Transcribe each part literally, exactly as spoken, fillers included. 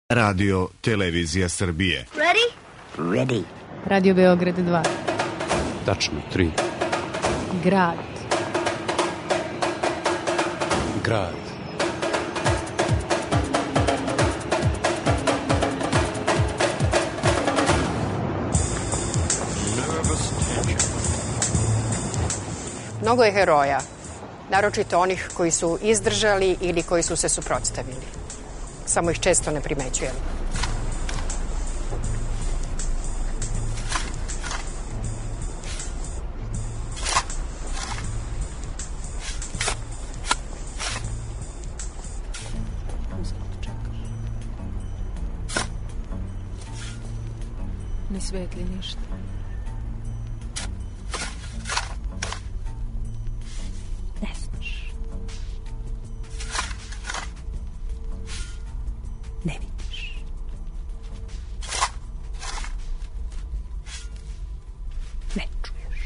Radio Televizija Srbije. Ready? Ready. Radio Beograd dva. Tačno, tri. Grad. Grad. Mnogo je heroja, naročito onih koji su izdržali ili koji su se suprotstavili. Samo ih često ne primećujemo. Ne svetli ništa. Ne znaš. Ne vidiš. Ne čuješ.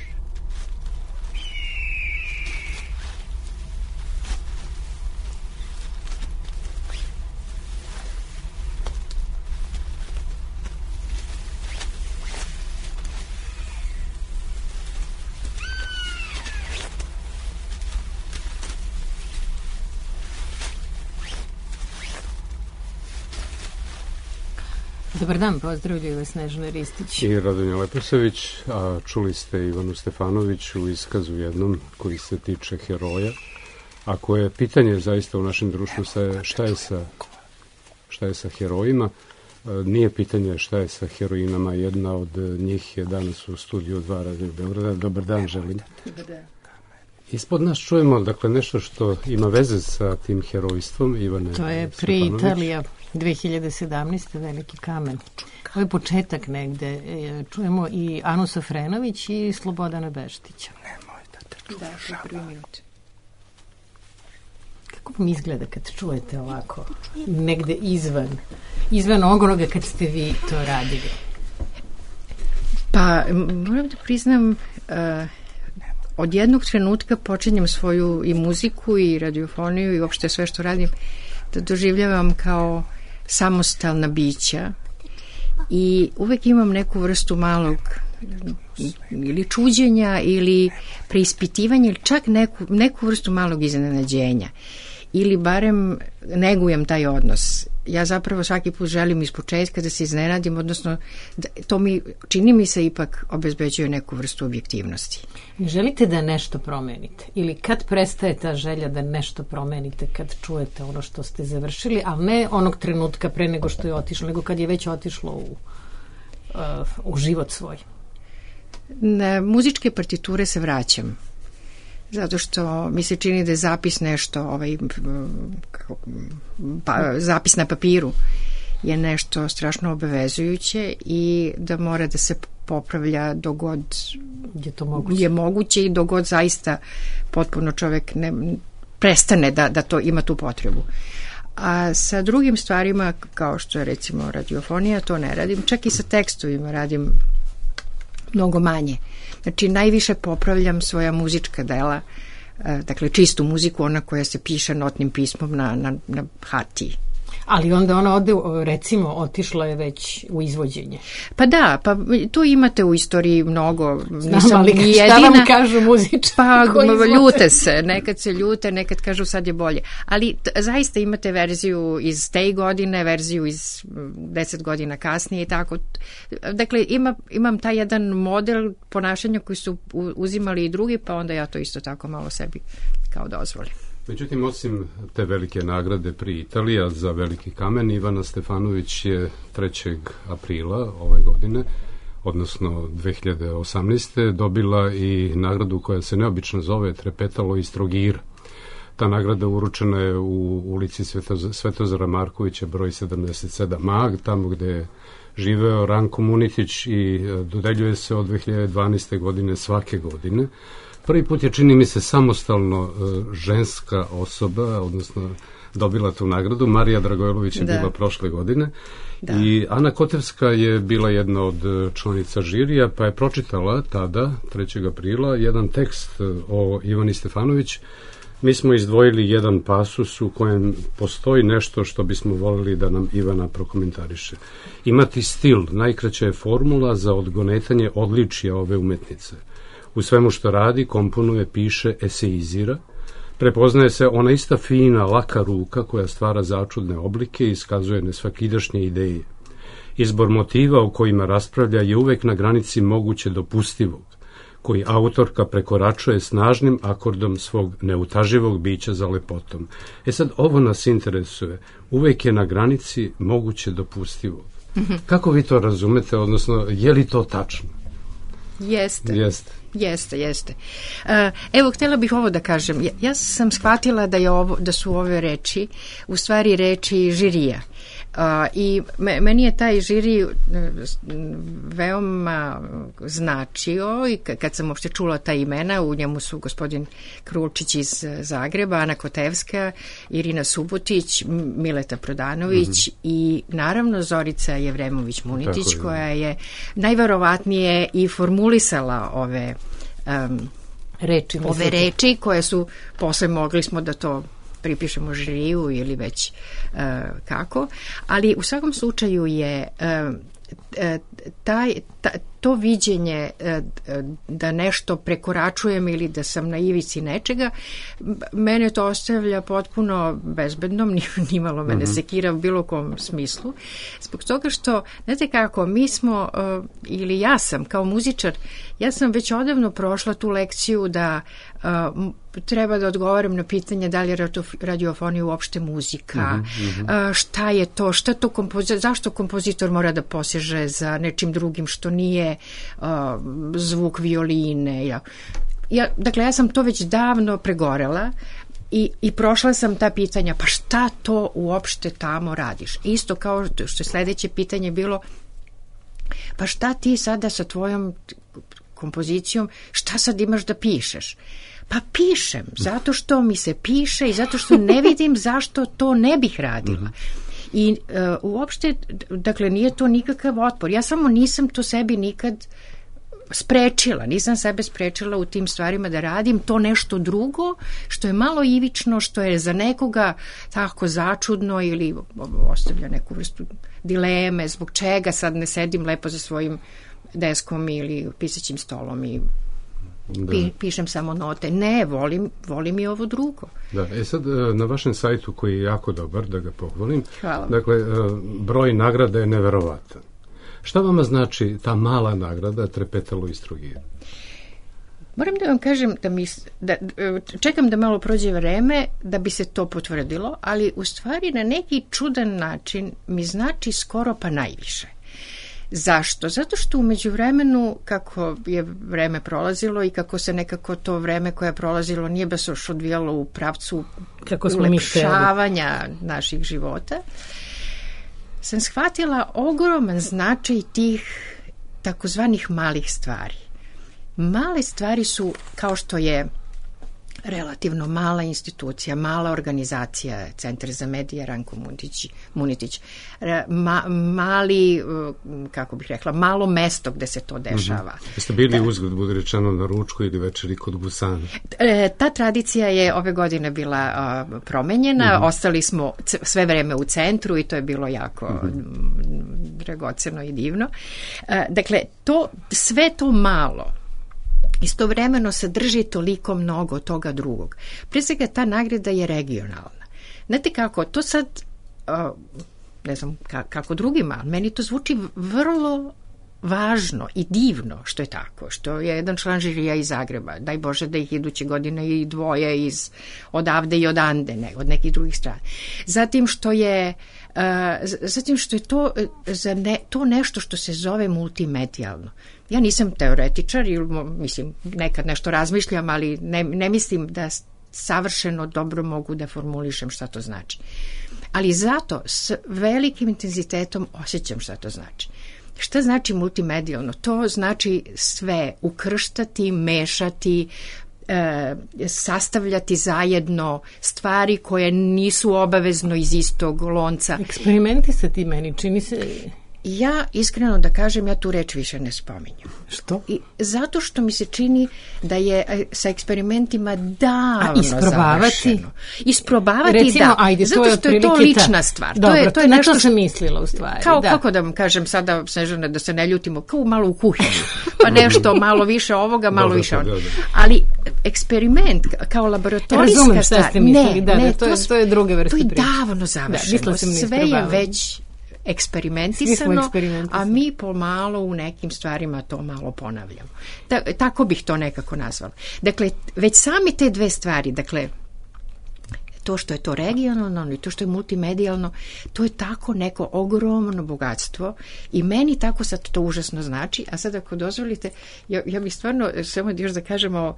Dobar dan, pozdravljaju vas Snežana Ristić i Radonja Leposavić, a čuli ste Ivanu Stefanović u iskazu jednom koji se tiče heroja, a koje pitanje zaista u našem društvu šta je sa, šta je sa herojima. Nije pitanje šta je sa heroinama, jedna od njih je danas u studiju dva Radio Beograda. Dobar dan, želim. Dobar dan. Ispod nas čujemo, dakle, nešto što ima veze sa tim herojstvom Ivane To je pri Italija dve hiljade sedamnaeste. Veliki kamen. Ovo je početak negde. Čujemo i Anu Safrenović i Slobodana Beštića. Nemoj da te čuješ. Da, to je prvi minut. Kako vam izgleda kad čujete ovako negde izvan izvan onoga kad ste vi to radili? Pa, moram da priznam, uh, od jednog trenutka počinjem svoju i muziku i radiofoniju i uopšte sve što radim da doživljavam kao samostalna bića i uvek imam neku vrstu malog ili čuđenja ili preispitivanja ili čak neku, neku vrstu malog iznenađenja ili barem negujem taj odnos. Ja zapravo svaki put želim iz početka da se iznenadim, odnosno da, to mi čini mi se ipak obezbeđuje neku vrstu objektivnosti. Ne želite da nešto promenite? Ili kad prestaje ta želja da nešto promenite kad čujete ono što ste završili, ali ne onog trenutka pre nego što je otišlo, nego kad je već otišlo u, uh, u život svoj? Na muzičke partiture se vraćam. Zato što mi se čini da je zapis nešto, ovaj, pa, zapis na papiru je nešto strašno obavezujuće i da mora da se popravlja dogod je to moguće, je moguće i dogod zaista potpuno čovek ne, prestane da, da to ima tu potrebu. A sa drugim stvarima, kao što je recimo radiofonija, to ne radim. Čak i sa tekstovima radim mnogo manje. Znači, najviše popravljam svoja muzička dela, dakle, čistu muziku, ona koja se piše notnim pismom na, na, na hartiji. Ali onda ona ode, recimo, otišla je već u izvođenje. Pa da, pa to imate u istoriji mnogo. Znam, ali šta jedina, vam kažu muzičari? Pa ljute se, nekad se ljute, nekad kažu sad je bolje. Ali t- zaista imate verziju iz te godine, verziju iz deset godina kasnije i tako. Dakle, ima, imam taj jedan model ponašanja koji su uzimali i drugi, pa onda ja to isto tako malo sebi kao dozvolim. Međutim, osim te velike nagrade pri Italija za Veliki kamen, Ivana Stefanović je trećeg aprila ove godine, odnosno dve hiljade osamnaeste. dobila i nagradu koja se neobično zove Trepetalo iz Trogira. Ta nagrada uručena je u ulici Svetoz- Svetozara Markovića broj sedamdeset sedam A, tamo gde je živeo Ranko Munitić i dodeljuje se od dve hiljade dvanaeste. godine svake godine. Prvi put je, čini mi se, samostalno uh, ženska osoba, odnosno dobila tu nagradu. Marija Dragojlović je da. bila prošle godine. Da. I Ana Kotevska je bila jedna od članica žirija, pa je pročitala tada, trećeg aprila, jedan tekst o Ivani Stefanović Mi smo izdvojili jedan pasus u kojem postoji nešto što bismo voljeli da nam Ivana prokomentariše. Imati stil, najkraća je formula za odgonetanje odličija ove umetnice. U svemu što radi, komponuje, piše, eseizira, prepoznaje se ona ista fina, laka ruka koja stvara začudne oblike i iskazuje nesvakidašnje ideje. Izbor motiva o kojima raspravlja je uvek na granici moguće dopustivog, koji autorka prekoračuje snažnim akordom svog neutaživog bića za lepotom. E sad, ovo nas interesuje. Uvek je na granici moguće dopustivog. Kako vi to razumete, odnosno, je li to tačno? Jeste. Jeste. Jeste, jeste. Uh, evo, htjela bih ovo da kažem. Ja, ja sam shvatila da, je ovo, da su ove reči u stvari reči žirija. Uh, I me, meni je taj žiri uh, veoma značio i kad sam uopšte čula ta imena, u njemu su gospodin Krulčić iz Zagreba, Ana Kotevska, Irina Subotić, Mileta Prodanović mm-hmm. i naravno Zorica Jevremović-Munitić, koja je najverovatnije i formulisala ove um, reči, ove reči koje su posle mogli smo da to pripišemo žiriju ili već uh, kako, ali u svakom slučaju je uh, taj, ta, to viđenje da nešto prekoračujem ili da sam na ivici nečega, mene to ostavlja potpuno bezbednom, nimalo mene mm-hmm. sekira u bilo kom smislu, zbog toga što, znate kako, mi smo, ili ja sam kao muzičar, ja sam već odavno prošla tu lekciju da treba da odgovaram na pitanje da li je radiofonija uopšte muzika, mm-hmm. šta je to, šta to kompozitor, zašto kompozitor mora da poseže za nečim drugim što nije uh, zvuk violine. Ja, ja, dakle, ja sam to već davno pregorela i, i prošla sam ta pitanja, pa šta to uopšte tamo radiš? Isto kao što je sledeće pitanje bilo, pa šta ti sada sa tvojom kompozicijom, šta sad imaš da pišeš? Pa pišem, zato što mi se piše i zato što ne vidim zašto to ne bih radila. I uh, uopšte, dakle, nije to nikakav otpor. Ja samo nisam to sebi nikad sprečila, nisam sebe sprečila u tim stvarima da radim to nešto drugo, što je malo ivično, što je za nekoga tako začudno ili ostavlja neku vrstu dileme, zbog čega sad ne sedim lepo za svojim deskom ili pisaćim stolom i Pi, pišem samo note. Ne, volim, volim i ovo drugo. Da, e sad na vašem sajtu koji je jako dobar, da ga pohvalim, hvala. Dakle, broj nagrada je neverovatan. Šta vama znači ta mala nagrada Trepetalo iz Trogira? Moram da vam kažem da mi, da, čekam da malo prođe vreme da bi se to potvrdilo, ali u stvari na neki čudan način mi znači skoro pa najviše. Zašto? Zato što u međuvremenu, kako je vreme prolazilo i kako se nekako to vreme koje je prolazilo nije baš još odvijalo u pravcu ulepšavanja naših života, sam shvatila ogroman značaj tih takozvanih malih stvari. Male stvari su kao što je relativno mala institucija, mala organizacija, Centar za medije Ranko Munitić, Munitić ma, mali, kako bih rekla, malo mesto gde se to dešava. Mm-hmm. Jeste bili da, uzgled, bude rečeno, na ručku ili večeri kod Gusana? E, ta tradicija je ove godine bila a, promenjena, mm-hmm. ostali smo c- sve vreme u centru i to je bilo jako mm-hmm. dragoceno i divno. E, dakle, to, sve to malo istovremeno sadrži toliko mnogo toga drugog. Pre svega ta nagrada je regionalna. Znate kako, to sad, uh, ne znam ka, kako drugima, ali meni to zvuči vrlo važno i divno što je tako, što je jedan član žirija iz Zagreba, daj Bože da ih iduće godine i dvoje iz odavde i odande, ne, od nekih drugih strana. Zatim što je Uh, zatim što je to, za ne, to nešto što se zove multimedijalno. Ja nisam teoretičar ili mislim nekad nešto razmišljam, ali ne, ne mislim da savršeno dobro mogu da formulišem šta to znači. Ali zato s velikim intenzitetom osjećam šta to znači. Šta znači multimedijalno? To znači sve ukrštati, mešati, E, sastavljati zajedno stvari koje nisu obavezno iz istog lonca. Eksperimenti sa ti meni čini se Ja, iskreno da kažem, ja tu reč više ne spominjem. Što? I zato što mi se čini da je e, sa eksperimentima davno A, isprobavati? završeno. Isprobavati, Recimo, da. Ajde, zato to je što je to otprilike lična ta- stvar. Dobro, to je, to je na nešto to sam mislila u stvari. Kao, da. kako da vam kažem sada, Snežane, da se ne ljutimo, kao malo u kuhinju. Pa nešto malo više ovoga, malo Dobro, više dobro, ovoga. dobro. Ali eksperiment kao laboratorijska Razumem šta stvar. ste mislili, ne, da, ne, da, to je- s- to je druge vrste To je priče. davno završeno. mislila sam na Sve je isprobavanje. već eksperimentisano, Svi smo eksperimentisani. a mi pomalo u nekim stvarima to malo ponavljamo. Ta, tako bih to nekako nazvala. Dakle, već sami te dve stvari, dakle, to što je to regionalno i to što je multimedijalno, to je tako neko ogromno bogatstvo i meni tako sad to užasno znači, a sad ako dozvolite, ja, ja bih stvarno, samo još da kažemo,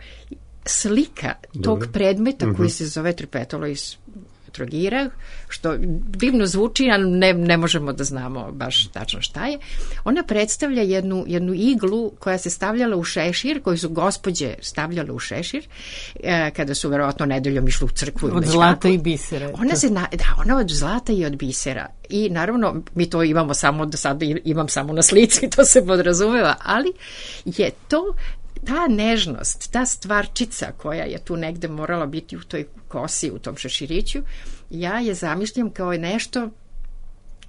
slika tog Dobro. predmeta koji se zove tripetalo iz Trogira, što divno zvuči, a ne, ne možemo da znamo baš tačno šta je. Ona predstavlja jednu, jednu iglu koja se stavljala u šešir, koju su gospođe stavljale u šešir, e, kada su verovatno nedeljom išli u crkvu. ili Od već zlata kako. i bisera. Ona To. se na, da, ona od zlata i od bisera. I naravno, mi to imamo samo, do sada imam samo na slici, to se podrazumeva, ali je to ta nežnost, ta stvarčica koja je tu negde morala biti u toj kosi, u tom šeširiću, ja je zamišljam kao nešto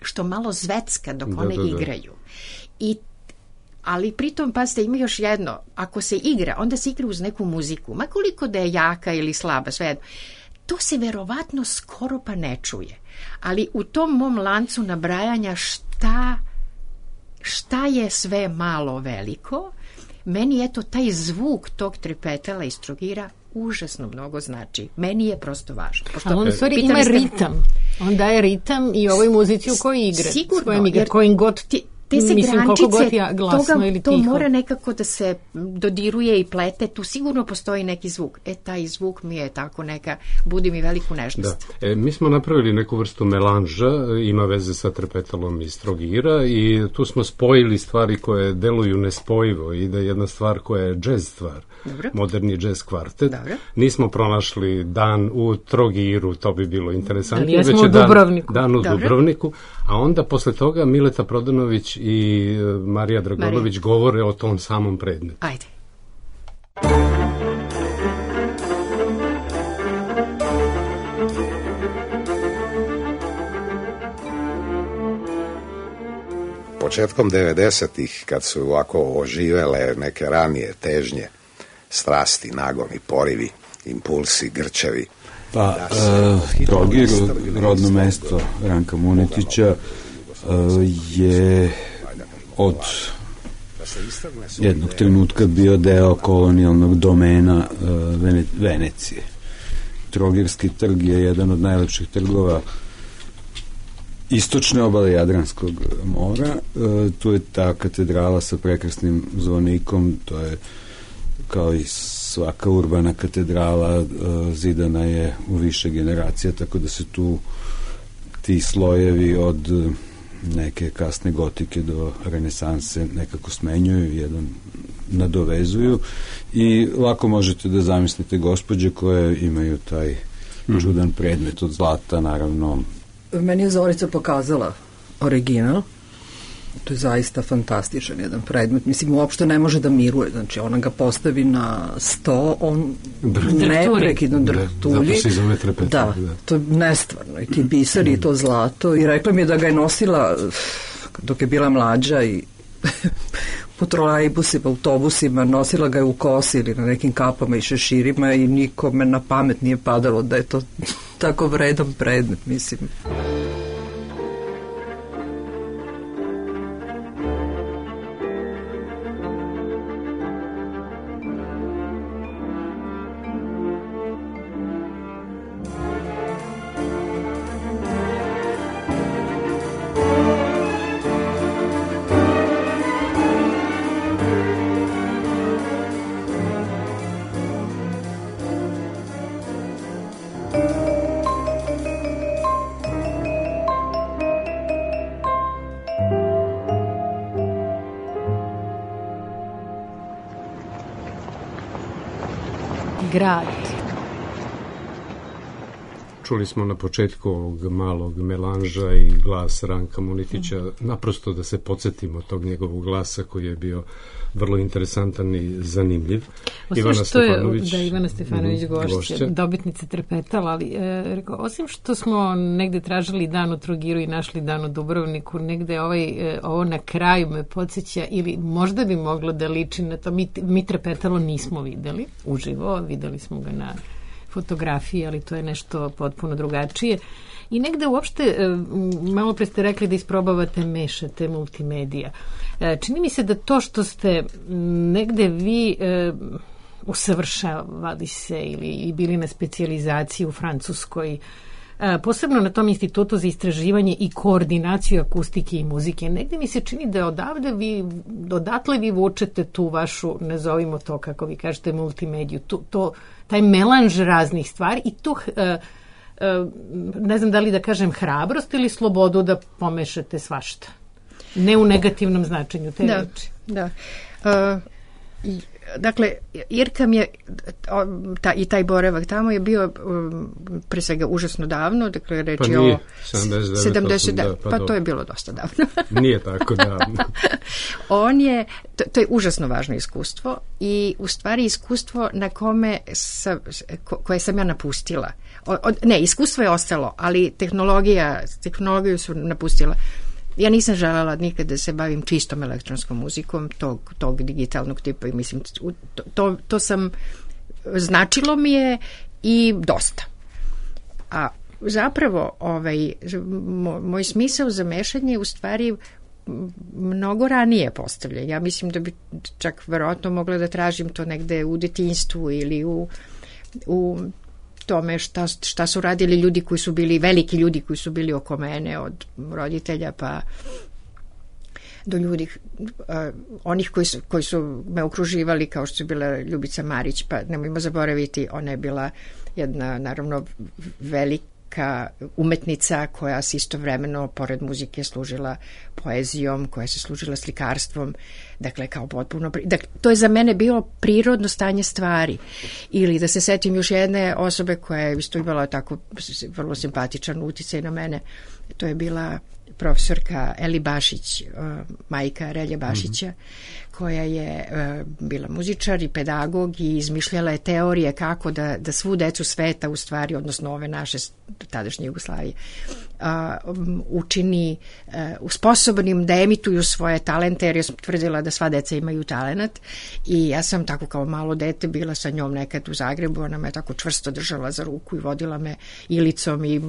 što malo zvecka dok Da, one da, da. igraju. I ali pritom, pazite, ima još jedno, ako se igra, onda se igra uz neku muziku, ma koliko da je jaka ili slaba, svejedno. To se verovatno skoro pa ne čuje. Ali u tom mom lancu nabrajanja šta, šta je sve malo veliko, meni je to taj zvuk tog tripetala iz Trogira užasno mnogo znači. Meni je prosto važno. Pošto, Ali on u stvari pitali ima ste- ritam. On daje ritam i ovoj muzici u kojoj igra. Sigurno, S kojom igra, jer kojim god, ti- te se mislim, koliko grančice, god ja glasno toga, ili to tiho. mora nekako da se dodiruje i plete, tu sigurno postoji neki zvuk. E, taj zvuk mi je tako neka, budi mi veliku Da. nežnost. E, mi smo napravili neku vrstu melanža, ima veze sa trepetalom iz Trogira i tu smo spojili stvari koje deluju nespojivo i da je jedna stvar koja je džez stvar, Dobro. moderni džez kvartet. Dobro. Nismo pronašli dan u Trogiru, to bi bilo interesantno. Ali jesmo već je u dan- Dubrovniku. Dan u Dobro. Dubrovniku, a onda posle toga Mileta Prodanović i e, Marija Dragonović govore o tom samom predmetu. Ajde. Početkom devedesetih, kad su ovako oživele neke ranije težnje, strasti, nagoni, porivi, impulsi, grčevi, Pa, e, Trogir, rodno mesto Ranka Munetića, e, je od jednog trenutka bio deo kolonijalnog domena e, Vene, Venecije. Trogirski trg je jedan od najlepših trgova istočne obale Jadranskog mora. E, tu je ta katedrala sa prekrasnim zvonikom, to je kao i svaka urbana katedrala, e, zidana je u više generacija, tako da se tu ti slojevi od e, neke kasne gotike do renesanse nekako smenjuju, jedan nadovezuju i lako možete da zamislite gospođe koje imaju taj čudan predmet od zlata, naravno. Meni je Zorica pokazala original. To je zaista fantastičan jedan predmet. Mislim, uopšte ne može da miruje. Znači, ona ga postavi na sto, on neprekidno drhtulji. Zato se i zove trepetal. Da, Da. to je nestvarno. I ti biseri, i to zlato. I rekla mi je da ga je nosila dok je bila mlađa i po trolejbusima, autobusima, nosila ga je u kosi ili na nekim kapama i šeširima i nikome na pamet nije padalo da je to tako vredan predmet, mislim. Grad. čuli smo na početku ovog malog melanža i glas Ranka Munitića, mm. naprosto da se podsjetimo tog njegovog glasa koji je bio vrlo interesantan i zanimljiv. Osim Ivana što je, Stefanović, da, Ivana Stefanović mm, gošća, gošća, dobitnica Trepetala, ali e, rekao, osim što smo negde tražili dan u Trogiru i našli dan u Dubrovniku, negde ovaj, e, ovo na kraju me podsjeća, ili možda bi moglo da liči na to, mi, mi Trepetalo nismo videli uživo, videli smo ga na fotografiji, ali to je nešto potpuno drugačije. I negde uopšte, malo pre ste rekli da isprobavate, mešate multimedija. Čini mi se da to što ste negde vi usavršavali se ili i bili na specijalizaciji u Francuskoj, posebno na tom institutu za istraživanje i koordinaciju akustike i muzike. Negde mi se čini da odavde vi, odatle vi vučete tu vašu, nazovimo to kako vi kažete, multimediju, tu, to, taj melanž raznih stvari i tu, uh, uh, ne znam da li da kažem hrabrost ili slobodu da pomešate svašta. Ne u negativnom značenju te da, reči. Da, uh, i, dakle, Irka mi je ta, i taj boravak tamo je bio um, pre svega užasno davno, dakle reč je pa o sedamdeset devet, pa, pa to je bilo dosta davno. Nije tako davno. On je, to, to je užasno važno iskustvo i u stvari iskustvo na kome sa, ko, koje sam ja napustila. O, o, ne, iskustvo je ostalo, ali tehnologija, tehnologiju su napustila. Ja nisam željela nikad da se bavim čistom elektronskom muzikom tog, tog digitalnog tipa i mislim, to, to, to sam, značilo mi je i dosta. A zapravo ovaj, moj smisao za mešanje u stvari mnogo ranije postavljen. Ja mislim da bi čak verovatno mogla da tražim to negde u detinjstvu ili u, u tome šta, šta su radili ljudi koji su bili, veliki ljudi koji su bili oko mene, od roditelja pa do ljudi, uh, onih koji su, koji su me okruživali, kao što je bila Ljubica Marić, pa nemojmo zaboraviti, ona je bila jedna, naravno, velika umetnica koja se istovremeno, pored muzike, služila poezijom, koja se služila slikarstvom, dakle, kao potpuno... Dakle, to je za mene bilo prirodno stanje stvari. Ili da se setim još jedne osobe koja je isto imala tako vrlo simpatičan uticaj na mene, to je bila profesorka Eli Bašić, uh, majka Relje Bašića, mm-hmm. koja je uh, bila muzičar i pedagog i izmišljala je teorije kako da, da svu decu sveta, u stvari, odnosno ove naše tadašnje Jugoslavije, uh, um, učini uh, sposobnim da emituju svoje talente, jer je tvrdila da sva deca imaju talenat i ja sam tako kao malo dete bila sa njom nekad u Zagrebu, ona me tako čvrsto držala za ruku i vodila me ilicom i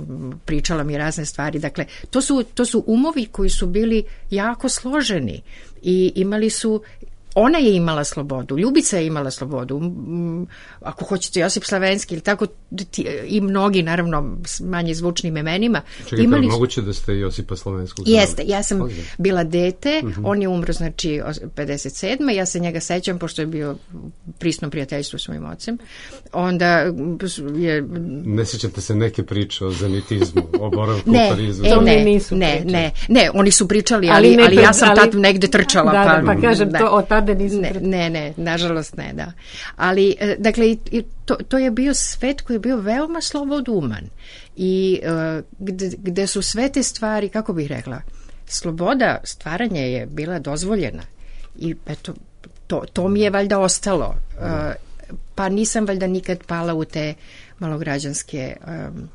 pričala mi razne stvari. Dakle, to su, to su umovi koji su bili jako složeni i imali su, ona je imala slobodu, Ljubica je imala slobodu, ako hoćete Josip Slavenski ili tako, i mnogi, naravno, s manje zvučnim imenima. Čekajte, imali... moguće da ste Josipa Slavenskog znali? Jeste, ja sam Ozim. bila dete, uh-huh. on je umro, znači, pedeset sedme ja se njega sećam, pošto je bio prisno prijateljstvo s mojim ocem. Onda je... Ne sećate se neke priče o zenitizmu, o boravku ne, u Parizu? E, ne, nisu ne, ne, ne, oni su pričali, ali, ali, ne, ali ja sam ali... tad negde trčala. Da, pa, da, pa kažem, ne. to od tada nisu ne, ne, ne, nažalost ne, da. Ali, dakle, to, to je bio svet koji je bio veoma sloboduman i uh, gde, gde su sve te stvari, kako bih rekla, sloboda stvaranja je bila dozvoljena i eto, to, to mi je valjda ostalo. Uh, pa nisam valjda nikad pala u te malograđanske um,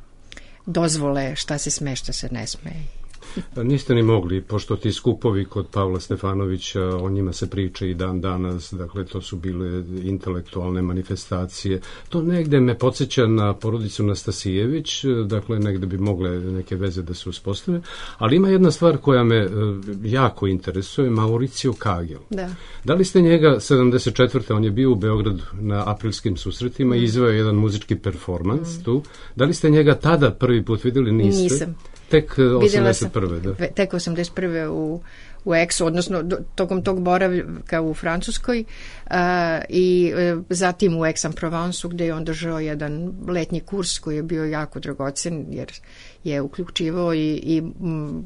dozvole šta se sme, šta se ne sme. Niste ni mogli, pošto ti skupovi kod Pavla Stefanovića, o njima se priča i dan danas, dakle to su bile intelektualne manifestacije. To negde me podsjeća na porodicu Nastasijević, dakle negde bi mogle neke veze da se uspostave, ali ima jedna stvar koja me jako interesuje, Mauricio Kagel. Da. Da li ste njega sedamdeset četvrte on je bio u Beogradu na aprilskim susretima i izveo jedan muzički performans mm. tu. Da li ste njega tada prvi put videli? Niste? Nisam. Tek osamdeset prve da. Tek osamdeset prve u, u Aix-u, odnosno do, tokom tog boravka u Francuskoj uh, i uh, zatim u Aix-en-Provence gde je on držao jedan letnji kurs koji je bio jako dragocen jer je uključivao i, i m,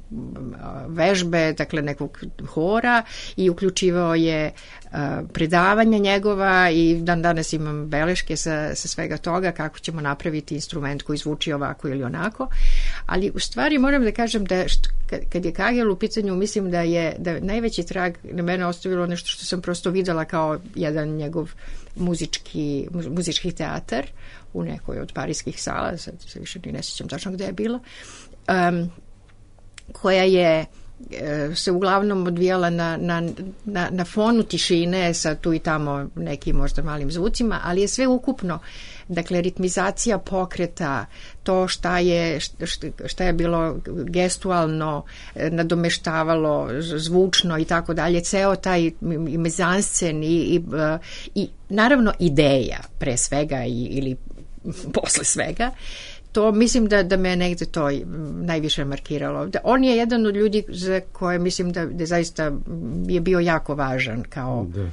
vežbe, dakle nekog hora i uključivao je uh, predavanja njegova i dan danas imam beleške sa, sa svega toga kako ćemo napraviti instrument koji zvuči ovako ili onako, ali u stvari moram da kažem da št, kad je Kagel u pitanju, mislim da je da najveći trag na mene ostavilo nešto što sam prosto videla kao jedan njegov muzički, muzički teatar u nekoj od parijskih sala, sad se više ni ne sjećam tačno gde je bila, um, koja je se uglavnom odvijala na, na, na, na fonu tišine sa tu i tamo nekim možda malim zvucima, ali je sve ukupno, dakle ritmizacija pokreta, to šta je, šta je bilo gestualno, nadomeštavalo zvučno i tako dalje, ceo taj i mezanscen i, i, i naravno ideja pre svega i, ili posle svega. To mislim da, da me negde to najviše markiralo. Da, on je jedan od ljudi za koje mislim da, da zaista je bio jako važan kao, da.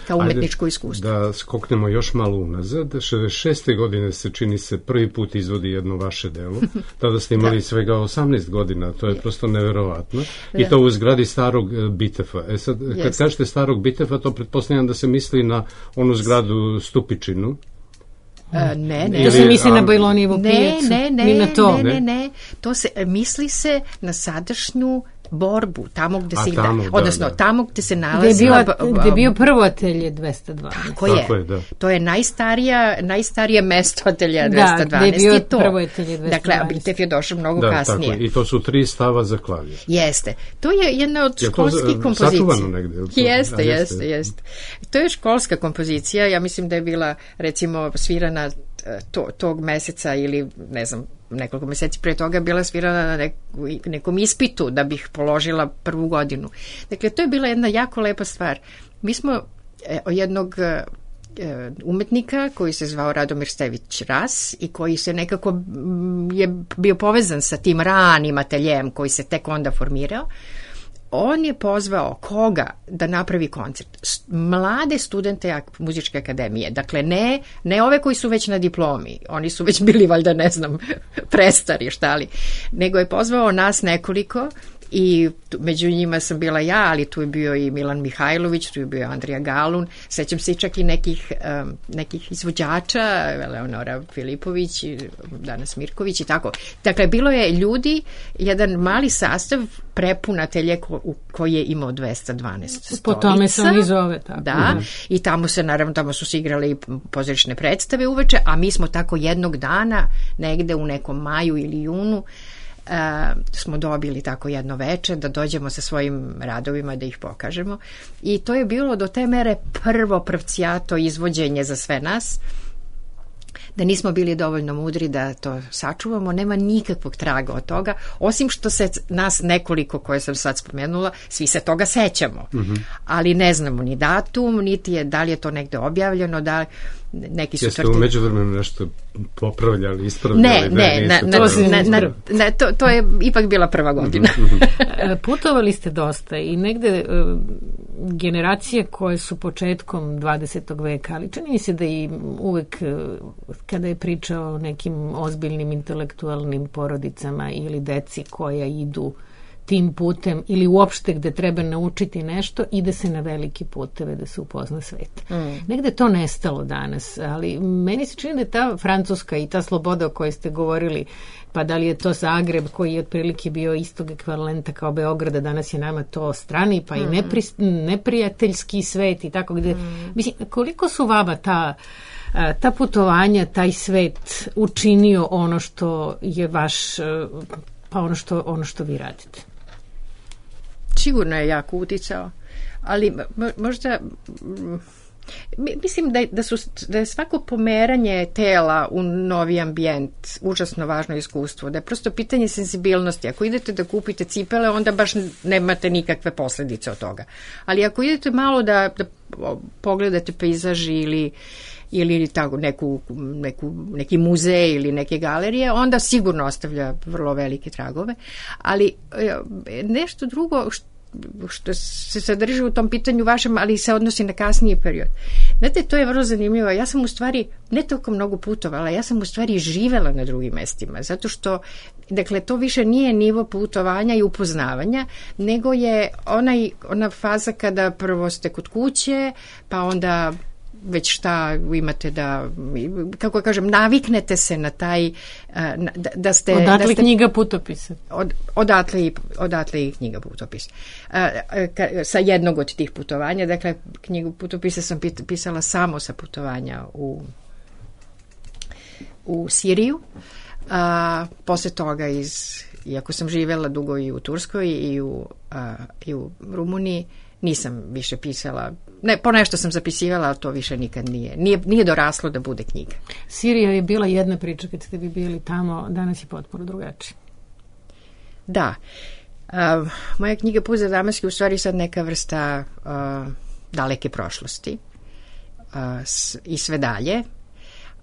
kao umetničko Ajde, iskustvo. Da skoknemo još malo unazad. šezdeset šeste godine se čini se prvi put izvodi jedno vaše delo. Tada ste imali da. svega osamnaest godina. To je da. prosto neverovatno. Da. I to u zgradi starog Bitefa. E sad, kad Jest. kažete starog Bitefa, to pretpostavljam da se misli na onu zgradu Stupičinu. Uh, ne, ne. To se misli na Bajlonijevu pijacu. Ne, ne, ne, to. ne, ne, ne. To se, misli se na sadašnju borbu, tamo gde se tamo, ide, da, odnosno da. tamo gde se nalazi... Gde je, bio, gde je bio prvo atelje dvesta dvanaest. Tako je. Tako je da. To je najstarija, najstarije mesto atelja dvesta dvanaest. Da, gde je bio to. prvo atelje dvesta dvanaest. Dakle, Bitev je došao mnogo da, kasnije. Tako je. I to su tri stava za klavir. Jeste. To je jedna od je školskih to, kompozicija. Sačuvano negde? To, jeste, jeste, jeste. To je školska kompozicija. Ja mislim da je bila, recimo, svirana to, tog meseca ili, ne znam, nekoliko meseci pre toga bila svirana na nek, nekom ispitu da bih položila prvu godinu. Dakle, to je bila jedna jako lepa stvar. Mi smo e, jednog e, umetnika koji se zvao Radomir Stević Ras i koji se nekako m, je bio povezan sa tim ranim ateljem koji se tek onda formirao. On je pozvao koga da napravi koncert? Mlade studente muzičke akademije. Dakle, ne, ne ove koji su već na diplomi. Oni su već bili, valjda, ne znam, prestari, šta li. Nego je pozvao nas nekoliko i tu, među njima sam bila ja, ali tu je bio i Milan Mihajlović, tu je bio Andrija Galun, sećam se čak i nekih, um, nekih izvođača, Eleonora Filipović, danas Mirković i tako. Dakle, bilo je ljudi, jedan mali sastav prepun atelje ko, koji je imao dvesta dvanaest stolica. Po tome se oni zove tako. Da, mm. i tamo se, naravno, tamo su se igrale i pozorišne predstave uveče, a mi smo tako jednog dana, negde u nekom maju ili junu, Uh, smo dobili tako jedno veče da dođemo sa svojim radovima da ih pokažemo i to je bilo do te mere prvo pravcijato izvođenje za sve nas, da nismo bili dovoljno mudri da to sačuvamo, nema nikakvog traga od toga, osim što se nas nekoliko koje sam sad spomenula, svi se toga sećamo, mm-hmm. ali ne znamo ni datum, niti je, da li je to negde objavljeno, da neki su Jeste tvrtili... u međuvremenu nešto popravljali, ispravljali? Ne, ne, ne, na, na, na, na, to, to je ipak bila prva godina. Putovali ste dosta i negde uh, generacije koje su početkom dvadesetog veka, ali čini mi se da i uvek uh, kada je priča o nekim ozbiljnim intelektualnim porodicama ili deci koja idu tim putem ili uopšte gde treba naučiti nešto, ide se na veliki puteve da se upozna svet. Mm. Negde to nestalo danas, ali meni se čini da je ta Francuska i ta sloboda o kojoj ste govorili, pa da li je to Zagreb koji je otprilike bio istog ekvivalenta kao Beograda, danas je nama to strani, pa mm. i nepri, neprijateljski svet i tako gde. Mm. Mislim, koliko su vama ta ta putovanja, taj svet učinio ono što je vaš, pa ono što, ono što vi radite? Sigurno je jako uticao, ali možda mislim da je, da, su, da je svako pomeranje tela u novi ambijent užasno važno iskustvo, da je prosto pitanje senzibilnosti. Ako idete da kupite cipele, onda baš nemate nikakve posledice od toga. Ali ako idete malo da, da pogledate pejzaži ili ili tako neku, neku, neki muzej ili neke galerije, onda sigurno ostavlja vrlo velike tragove. Ali nešto drugo, što se sadrži u tom pitanju vašem, ali se odnosi na kasniji period. Znate, to je vrlo zanimljivo. Ja sam u stvari ne toliko mnogo putovala, ja sam u stvari živela na drugim mestima, zato što, dakle, to više nije nivo putovanja i upoznavanja, nego je onaj, ona faza kada prvo ste kod kuće, pa onda već šta imate da, kako kažem, naviknete se na taj, da, da ste... Odatle da ste, knjiga putopisa. Od, odatle, i, odatle i knjiga putopisa. Sa jednog od tih putovanja, dakle, knjigu putopisa sam pisala samo sa putovanja u, u Siriju. A, posle toga, iz, iako sam živjela dugo i u Turskoj i u, a, i u Rumuniji, nisam više pisala, ne, po nešto sam zapisivala, ali to više nikad nije. Nije, nije doraslo da bude knjiga. Sirija je bila jedna priča kad ste vi bili tamo, danas je potpuno drugačije. Da. Uh, moja knjiga Put za Damask u stvari sad neka vrsta uh, daleke prošlosti uh, s, i sve dalje.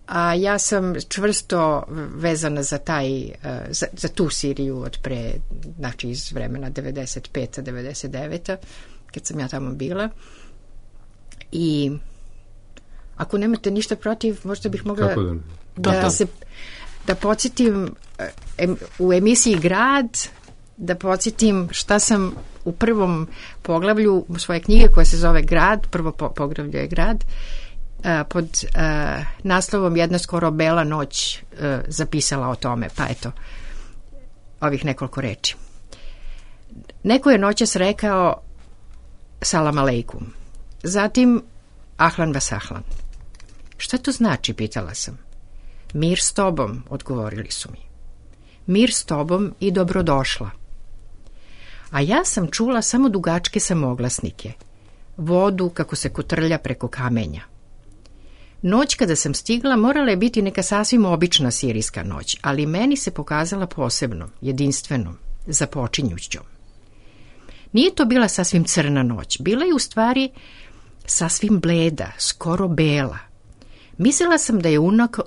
A ja sam čvrsto vezana za taj, uh, za, za tu Siriju od pre, znači iz vremena devedeset peta devedeset deveta kad sam ja tamo bila. I ako nemate ništa protiv, možda bih mogla da, da se da podsjetim em, u emisiji Grad, da podsjetim šta sam u prvom poglavlju svoje knjige koja se zove Grad, prvo po, poglavlje je Grad, a, pod a, naslovom Jedna skoro bela noć a, zapisala o tome, pa eto ovih nekoliko reči. Neko je noćas rekao salam aleikum. Zatim ahlan vas ahlan. Šta to znači, pitala sam. Mir s tobom, odgovorili su mi. Mir s tobom i dobrodošla. A ja sam čula samo dugačke samoglasnike, vodu kako se kotrlja preko kamenja. Noć kada sam stigla morala je biti neka sasvim obična sirijska noć, ali meni se pokazala posebnom, jedinstvenom, započinjućom. Nije to bila sasvim crna noć, bila je u stvari sasvim bleda, skoro bela. Mislila sam da je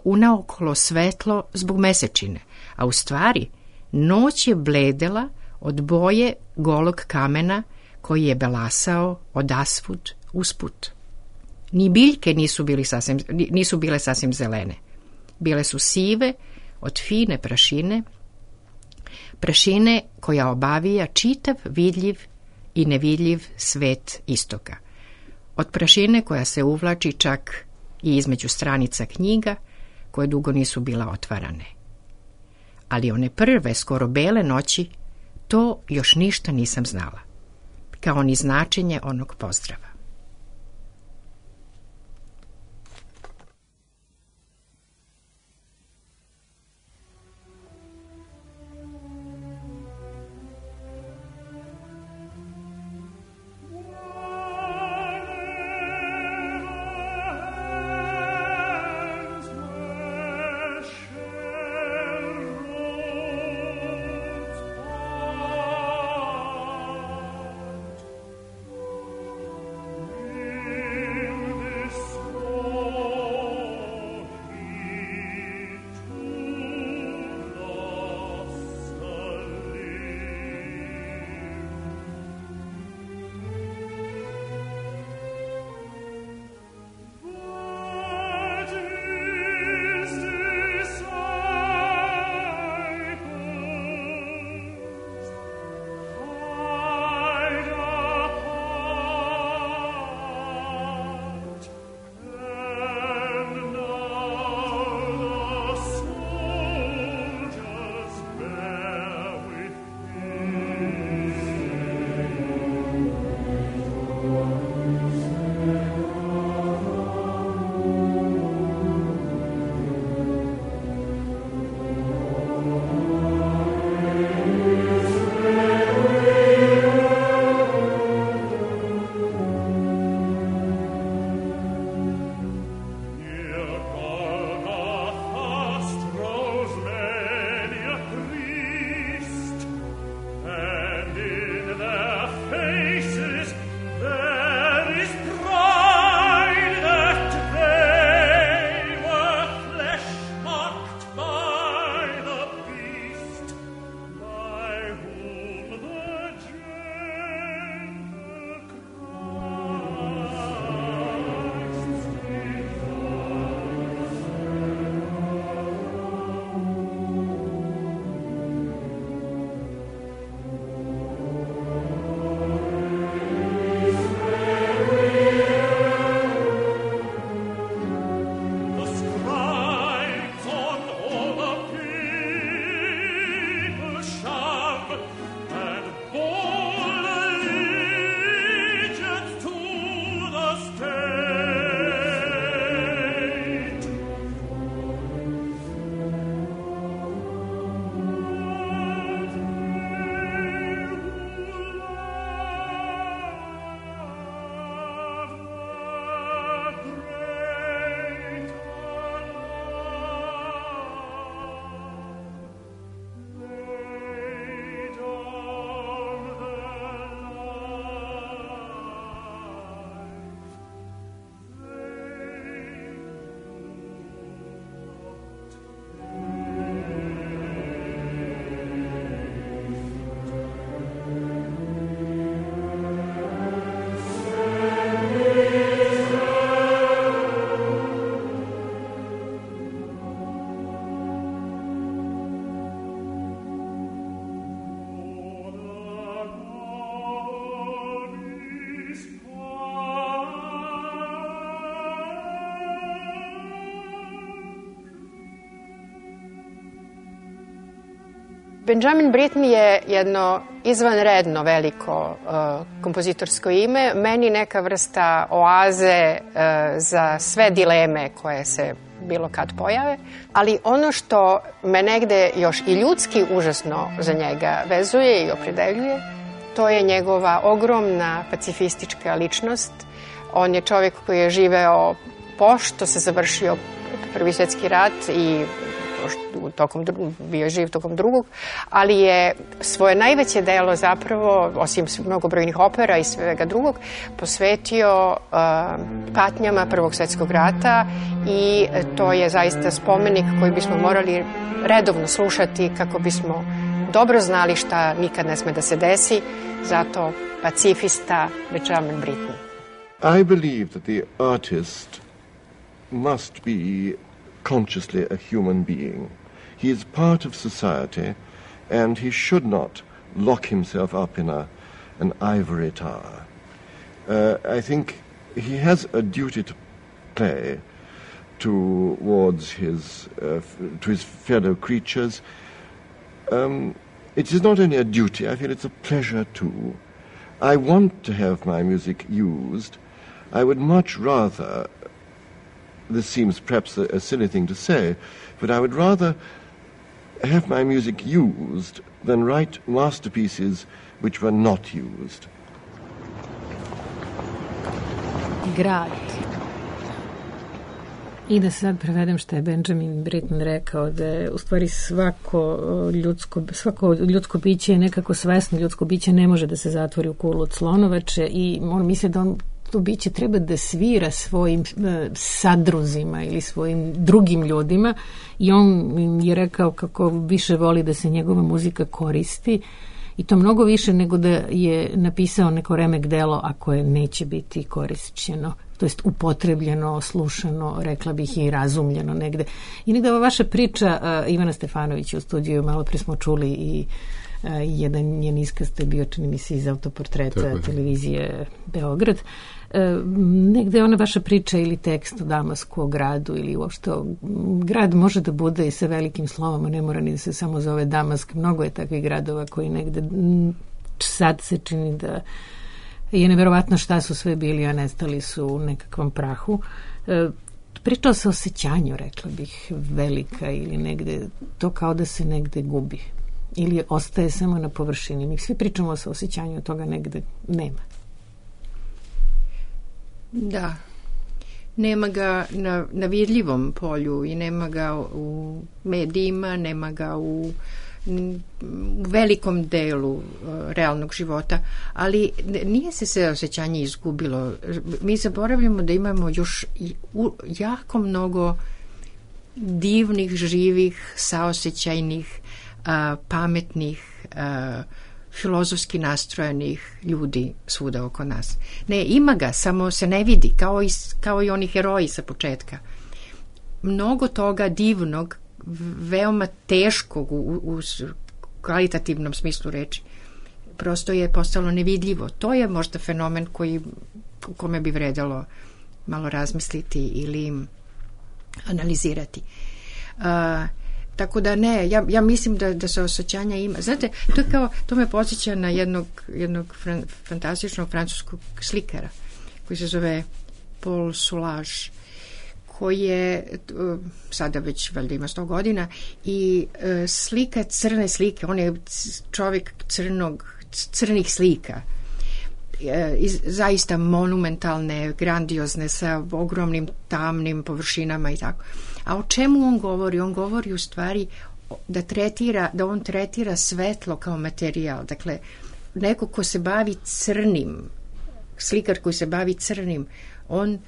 unaokolo svetlo zbog mesečine, a u stvari noć je bledela od boje golog kamena koji je belasao odasvud usput. Ni biljke nisu, bili sasvim, nisu bile sasvim zelene. Bile su sive od fine prašine, prašine koja obavija čitav vidljiv i nevidljiv svet istoka. Od prašine koja se uvlači čak i između stranica knjiga koje dugo nisu bila otvarane. Ali one prve, skoro bele noći, to još ništa nisam znala, kao ni značenje onog pozdrava. Benjamin Britten je jedno izvanredno veliko uh, kompozitorsko ime, meni neka vrsta oaze uh, za sve dileme koje se bilo kad pojave, ali ono što me negde još i ljudski užasno za njega vezuje i opredeljuje, to je njegova ogromna pacifistička ličnost. On je čovjek koji je živeo pošto se završio Prvi svjetski rat i tokom, bio je živ tokom drugog, ali je svoje najveće delo zapravo, osim mnogobrojnih opera i svega drugog, posvetio uh, patnjama Prvog svjetskog rata i to je zaista spomenik koji bismo morali redovno slušati kako bismo dobro znali šta nikad ne sme da se desi, zato pacifista Benjamin Britten. I believe that the artist must be consciously a human being. He is part of society and he should not lock himself up in a, an ivory tower. Uh, I think he has a duty to play towards his, uh, to his fellow creatures. Um, it is not only a duty, I feel it's a pleasure too. I want to have my music used. I would much rather, this seems perhaps a, a silly thing to say, but I would rather have my music used than write masterpieces which were not used. Grad. I da sad prevedem što je Benjamin Britten rekao, da je u stvari svako ljudsko, svako ljudsko biće je nekako svesno, ljudsko biće ne može da se zatvori u kulu od slonovače i on misli da on to biće treba da svira svojim e, sadruzima ili svojim drugim ljudima i on je rekao kako više voli da se njegova muzika koristi i to mnogo više nego da je napisao neko remek delo ako je neće biti korišćeno, to jest upotrebljeno, slušano, rekla bih i razumljeno negde. I negde ova vaša priča uh, Ivana Stefanovića u studiju, malo pre smo čuli i uh, jedan njen iskaz, to je bio, čini mi se, iz autoportreta Tako televizije Beograd. Uh, negde ona vaša priča ili tekst o Damasku, o gradu ili uopšte grad može da bude i sa velikim slovom, a ne mora ni da se samo zove Damask. Mnogo je takvih gradova koji negde sad se čini da je neverovatno šta su sve bili, a nestali su u nekakvom prahu. E, pričao se o osjećanju, rekla bih, velika ili negde, to kao da se negde gubi. Ili ostaje samo na površini. Mi svi pričamo o osjećanju, toga negde nema. Da. Nema ga na, na vidljivom polju i nema ga u medijima, nema ga u u velikom delu uh, realnog života, ali nije se sve osjećanje izgubilo. Mi zaboravljamo da imamo još i, u, jako mnogo divnih, živih, saosećajnih, uh, pametnih, uh, filozofski nastrojenih ljudi svuda oko nas. Ne, ima ga, samo se ne vidi, kao i, kao i oni heroji sa početka. Mnogo toga divnog, veoma teškog u, u kvalitativnom smislu reči, prosto je postalo nevidljivo. To je možda fenomen koji, u kome bi vredalo malo razmisliti ili analizirati. Uh, tako da ne, ja, ja mislim da, da se osjećanja ima. Znate, to je kao, to me podsjeća na jednog, jednog fran, fantastičnog francuskog slikara koji se zove Paul Soulages, koji je sada već valjda ima sto godina i slika crne slike, on je čovjek crnog, crnih slika, zaista monumentalne, grandiozne, sa ogromnim tamnim površinama i tako. A o čemu on govori? On govori u stvari da tretira, da on tretira svetlo kao materijal. Dakle, neko ko se bavi crnim, slikar koji se bavi crnim, on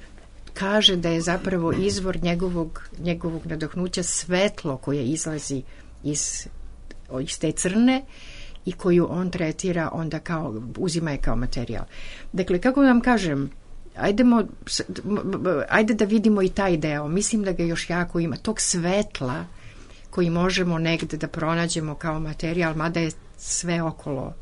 kaže da je zapravo izvor njegovog, njegovog nadahnuća svetlo koje izlazi iz, iz te crne i koju on tretira onda kao, uzima je kao materijal. Dakle, kako vam kažem, ajdemo, ajde da vidimo i taj deo. Mislim da ga još jako ima. Tog svetla koji možemo negde da pronađemo kao materijal, mada je sve okolo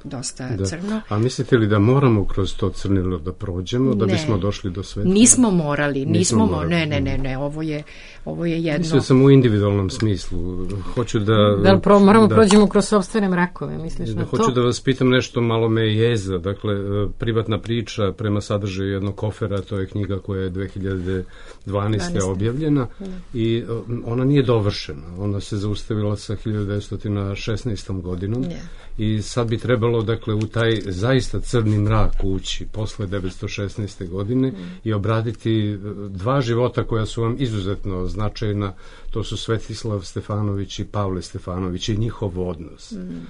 dosta da. crno. A mislite li da moramo kroz to crnilo da prođemo, da ne. bismo došli do sveta? Nismo morali, nismo, nismo morali. morali. Ne, ne, ne, ne, ovo je, ovo je jedno... Mislio sam u individualnom smislu. Hoću da... Da li pro, moramo da prođemo kroz sopstvene mrakove, misliš da, na hoću to? da vas pitam nešto, malo me jeza. Dakle, privatna priča prema sadržaju jednog kofera, to je knjiga koja je dve hiljade dvanaeste. objavljena i ona nije dovršena. Ona se zaustavila sa hiljadu devetsto šesnaestom. godinom yeah. i sad bi trebalo, dakle, u taj zaista crni mrak ući posle devetsto šesnaeste. godine mm. i obraditi dva života koja su vam izuzetno značajna. To su Svetislav Stefanović i Pavle Stefanović i njihov odnos. Mm.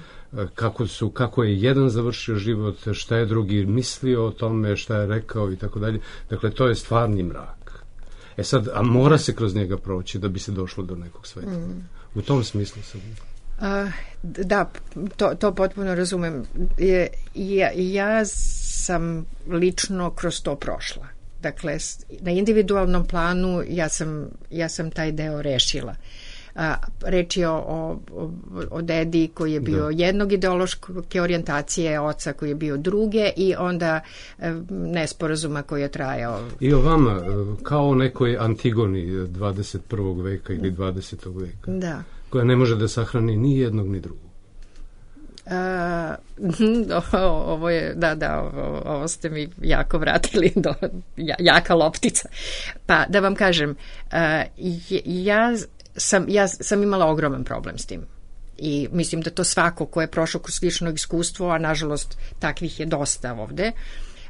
Kako su, kako je jedan završio život, šta je drugi mislio o tome, šta je rekao i tako dalje. Dakle, to je stvarni mrak. E sad, a mora se kroz njega proći da bi se došlo do nekog sveta. Mm. U tom smislu sam... Uh, da, to, to potpuno razumem. Je, ja, ja sam lično kroz to prošla. Dakle, na individualnom planu ja sam, ja sam taj deo rešila. A, reč je o, o, o dedi koji je bio da. jednog ideološke orijentacije, oca koji je bio druge i onda nesporazuma koji je trajao. I o vama, kao nekoj Antigoni dvadeset prvog veka ili dvadesetog veka. Da. Koja ne može da sahrani ni jednog ni drugog. Uh, ovo je, da, da, ovo, ovo ste mi jako vratili do jaka loptica. Pa da vam kažem, uh, ja sam, ja sam imala ogroman problem s tim. I mislim da to svako ko je prošao kroz slično iskustvo, a nažalost takvih je dosta ovde,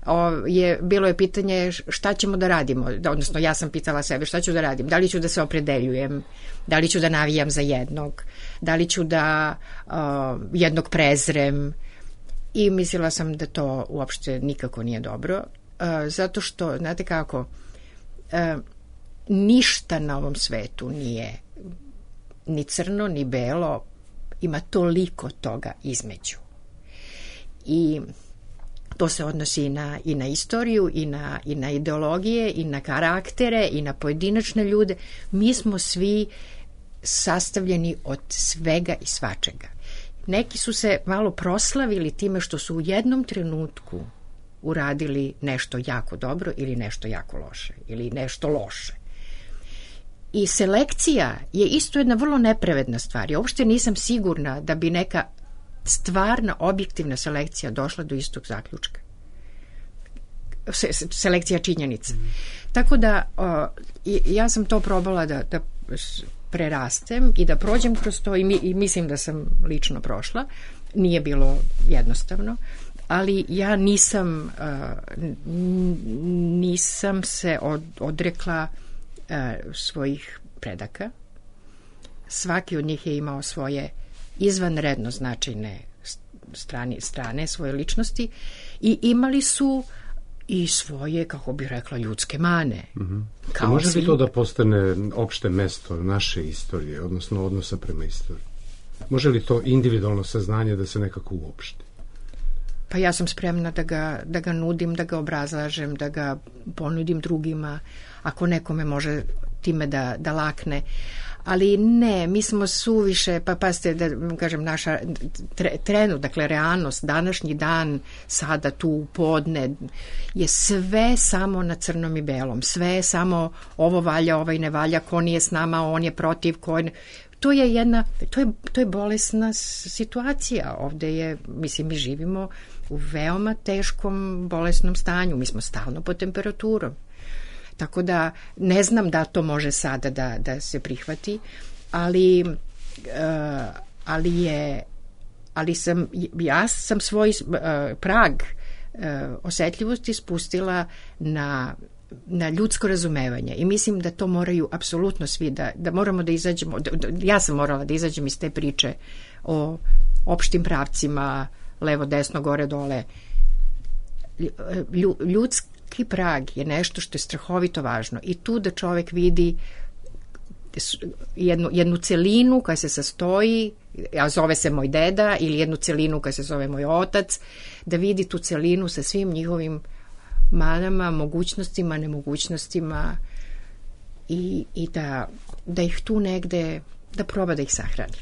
o, je, bilo je pitanje šta ćemo da radimo, da, odnosno ja sam pitala sebe šta ću da radim, da li ću da se opredeljujem, da li ću da navijam za jednog, da li ću da uh, jednog prezrem i mislila sam da to uopšte nikako nije dobro, uh, zato što, znate kako, uh, ništa na ovom svetu nije ni crno, ni belo, ima toliko toga između. I to se odnosi i na, i na istoriju, i na, i na ideologije, i na karaktere, i na pojedinačne ljude. Mi smo svi sastavljeni od svega i svačega. Neki su se malo proslavili time što su u jednom trenutku uradili nešto jako dobro ili nešto jako loše, ili nešto loše. I selekcija je isto jedna vrlo nepravedna stvar. Ja uopšte nisam sigurna da bi neka stvarna, objektivna selekcija došla do istog zaključka. Se, selekcija činjenica. Mm. Tako da o, ja sam to probala da, da prerastem i da prođem kroz to i, mi, i mislim da sam lično prošla. Nije bilo jednostavno, ali ja nisam uh, nisam se od, odrekla uh, svojih predaka. Svaki od njih je imao svoje izvanredno značajne strane, strane svoje ličnosti i imali su i svoje, kako bih rekla, ljudske mane. Mm-hmm. Kao može svi... li to da postane opšte mesto naše istorije, odnosno odnosa prema istoriji? Može li to individualno saznanje da se nekako uopšte? Pa ja sam spremna da ga, da ga nudim, da ga obrazlažem, da ga ponudim drugima, ako nekome može time da, da lakne. Ali ne, mi smo suviše, pa pazite, da kažem, naša tre, trenut, dakle, realnost, današnji dan, sada tu u podne, je sve samo na crnom i belom. Sve je samo ovo valja, ovaj ne valja, ko nije s nama, on je protiv, ko je... To je jedna, to je, to je bolesna situacija. Ovde je, mislim, mi živimo u veoma teškom bolesnom stanju. Mi smo stalno pod temperaturom. Tako da ne znam da to može sada da, da se prihvati, ali, uh, ali je, ali sam, ja sam svoj uh, prag uh, osetljivosti spustila na, na ljudsko razumevanje i mislim da to moraju apsolutno svi, da, da moramo da izađemo, da, da, ja sam morala da izađem iz te priče o opštim pravcima, levo, desno, gore, dole. Lju, ljudski prag je nešto što je strahovito važno i tu da čovek vidi jednu, jednu celinu koja se sastoji, a zove se moj deda, ili jednu celinu koja se zove moj otac, da vidi tu celinu sa svim njihovim manama, mogućnostima, nemogućnostima i, i da, da ih tu negde da proba da ih sahrani.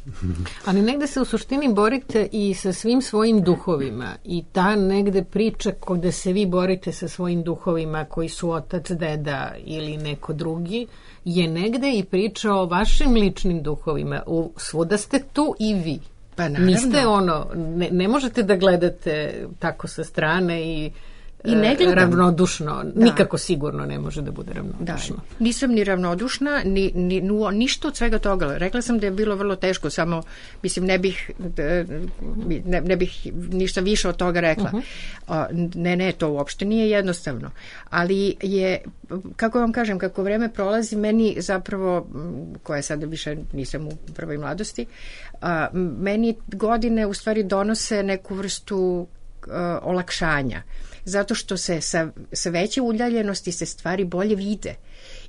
Ali negde se u suštini borite i sa svim svojim duhovima i ta negde priča gde se vi borite sa svojim duhovima koji su otac, deda ili neko drugi je negde i priča o vašim ličnim duhovima. U, svuda ste tu i vi. Pa naravno. Niste ono, ne, ne možete da gledate tako sa strane i I ne gledam. Ravnodušno, da. Nikako sigurno ne može da bude ravnodušno. Da, nisam ni ravnodušna, ni, ni, ništa od svega toga. Rekla sam da je bilo vrlo teško, samo, mislim, ne bih, ne, ne bih ništa više od toga rekla. Uh-huh. Ne, ne, to uopšte nije jednostavno. Ali je, kako vam kažem, kako vreme prolazi, meni zapravo, koja sada više nisam u prvoj mladosti, a, meni godine u stvari donose neku vrstu a, olakšanja. Zato što se sa, sa veće udaljenosti se stvari bolje vide